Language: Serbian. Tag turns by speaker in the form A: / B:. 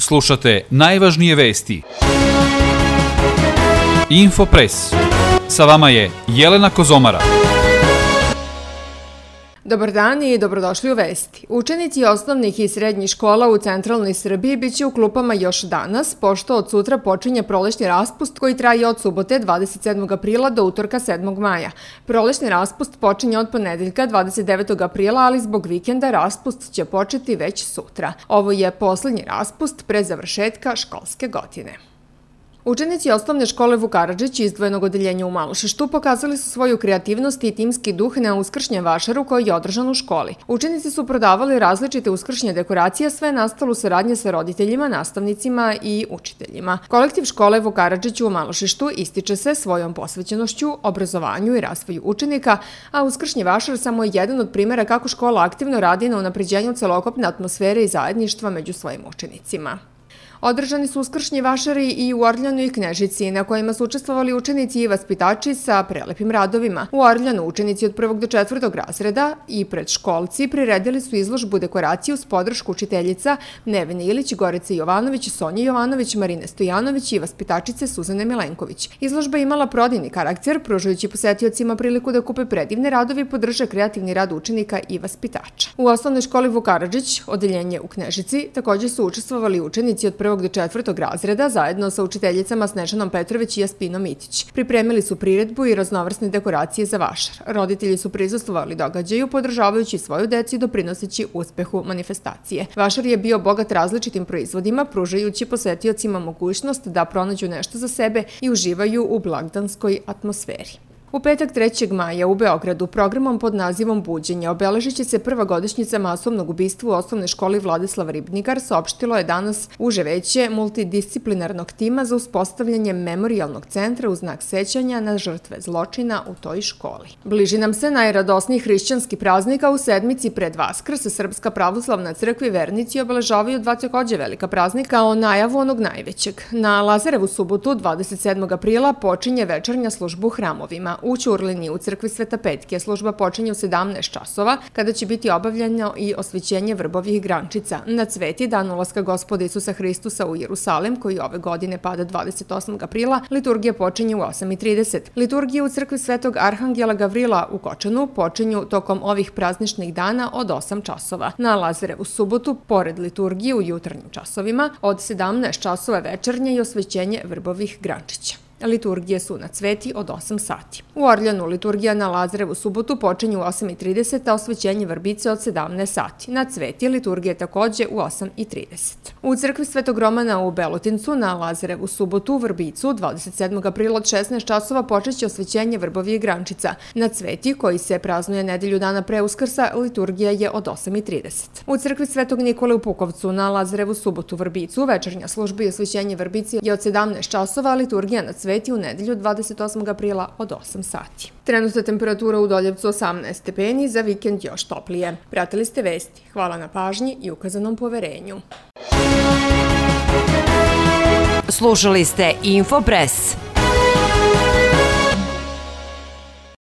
A: Slušate najvažnije vesti. Infopres. Sa vama je Jelena Kozomara.
B: Dobar dan i dobrodošli u Vesti. Učenici osnovnih i srednjih škola u centralnoj Srbiji biće u klupama još danas, pošto od sutra počinje prolećni raspust koji traje od subote 27. aprila do utorka 7. maja. Prolećni raspust počinje od ponedeljka 29. aprila, ali zbog vikenda raspust će početi već sutra. Ovo je poslednji raspust pre završetka školske godine. Učenici osnovne škole Vuk Karadžić izdvojenog odeljenja u Malošeštu pokazali su svoju kreativnost i timski duh na uskršnjem vašaru koji je održan u školi. Učenici su prodavali različite uskršnje dekoracije, sve nastalo u saradnji sa roditeljima, nastavnicima i učiteljima. Kolektiv škole Vuk Karadžić u Malošeštu ističe se svojom posvećenošću, obrazovanju i razvoju učenika, a uskršnji vašar samo je jedan od primera kako škola aktivno radi na unapređenju celokupne atmosfere i zajedništva među svojim učenicima. Održani su uskršnji vašari i u Orljanu i Knežici, na kojima su učestvovali učenici i vaspitači sa prelepim radovima. U Orljanu učenici od 1. do 4. razreda i predškolci priredili su izložbu dekoraciju uz podršku učiteljica Nevene Ilić, Gorice Jovanović, Sonje Jovanović, Marine Stojanović i vaspitačice Suzane Milenković. Izložba je imala prodajni karakter, pružajući posetiocima priliku da kupe predivne radove i podrže kreativni rad učenika i vaspitača. U osnovnoj školi Vuk Karadžić, odeljenje u Knežici, također su učestvovali učenici od 1. do 4. razreda zajedno sa učiteljicama Snežanom Petrović i Jaspinom Mitić. Pripremili su priredbu i raznovrsne dekoracije za vašar. Roditelji su prisustvovali događaju, podržavajući svoju decu i doprinoseći uspehu manifestacije. Vašar je bio bogat različitim proizvodima, pružajući posetiocima mogućnost da pronađu nešto za sebe i uživaju u blagdanskoj atmosferi. U petak 3. maja u Beogradu programom pod nazivom Buđenje obeležit će se prva godišnjica masovnog ubistva u osnovnoj školi Vladislav Ribnikar, saopštilo je danas uže veće multidisciplinarnog tima za uspostavljanje memorijalnog centra u znak sećanja na žrtve zločina u toj školi. Bliži nam se najradosniji hrišćanski praznik, a u sedmici pred Vaskrs Srpska pravoslavna crkva i vernici obeležavaju dva takođe velika praznika kao najavu onog najvećeg. Na Lazarevu subotu 27. aprila počinje večernja služba u hramovima. U Ćurlini u crkvi Sveta Petke služba počinje u 17 časova, kada će biti obavljeno i osvećenje vrbovih grančica. Na Cveti, dan ulaska Gospoda Isusa Hristusa u Jerusalim, koji ove godine pada 28. aprila, liturgija počinje u 8:30. Liturgije u crkvi Svetog Arhangela Gavrila u Kočanu počinju tokom ovih prazničnih dana od 8 časova. Na Lazarevu subotu, pored liturgije u jutarnjim časovima, od 17 časova večernje i osvećenje vrbovih grančića. Liturgije su na Cveti od 8 sati. U Orljanu liturgija na Lazarevu subotu počinje u 8:30, a osvećenje vrbice od 17 sati. Na Cveti liturgija je takođe u 8:30. U crkvi Svetog Romana u Belotincu na Lazarevu subotu u Vrbicu 27. aprila od 16 časova počeće osvećenje vrbovih grančica. Na Cveti, koji se praznuje nedelju dana pre Uskrsa, liturgija je od 8:30. U crkvi Svetog Nikole u Pukovcu na Lazarevu subotu u Vrbicu večernja služba i osvećenje vrbice je od 17 časova, a liturgija na Cveti u nedelju 28. aprila od 8 sati. Trenutna temperatura u Doljevcu 18 stepeni, za vikend još toplije. Pratili ste vesti. Hvala na pažnji i ukazanom poverenju.
C: Slušali ste Infopres.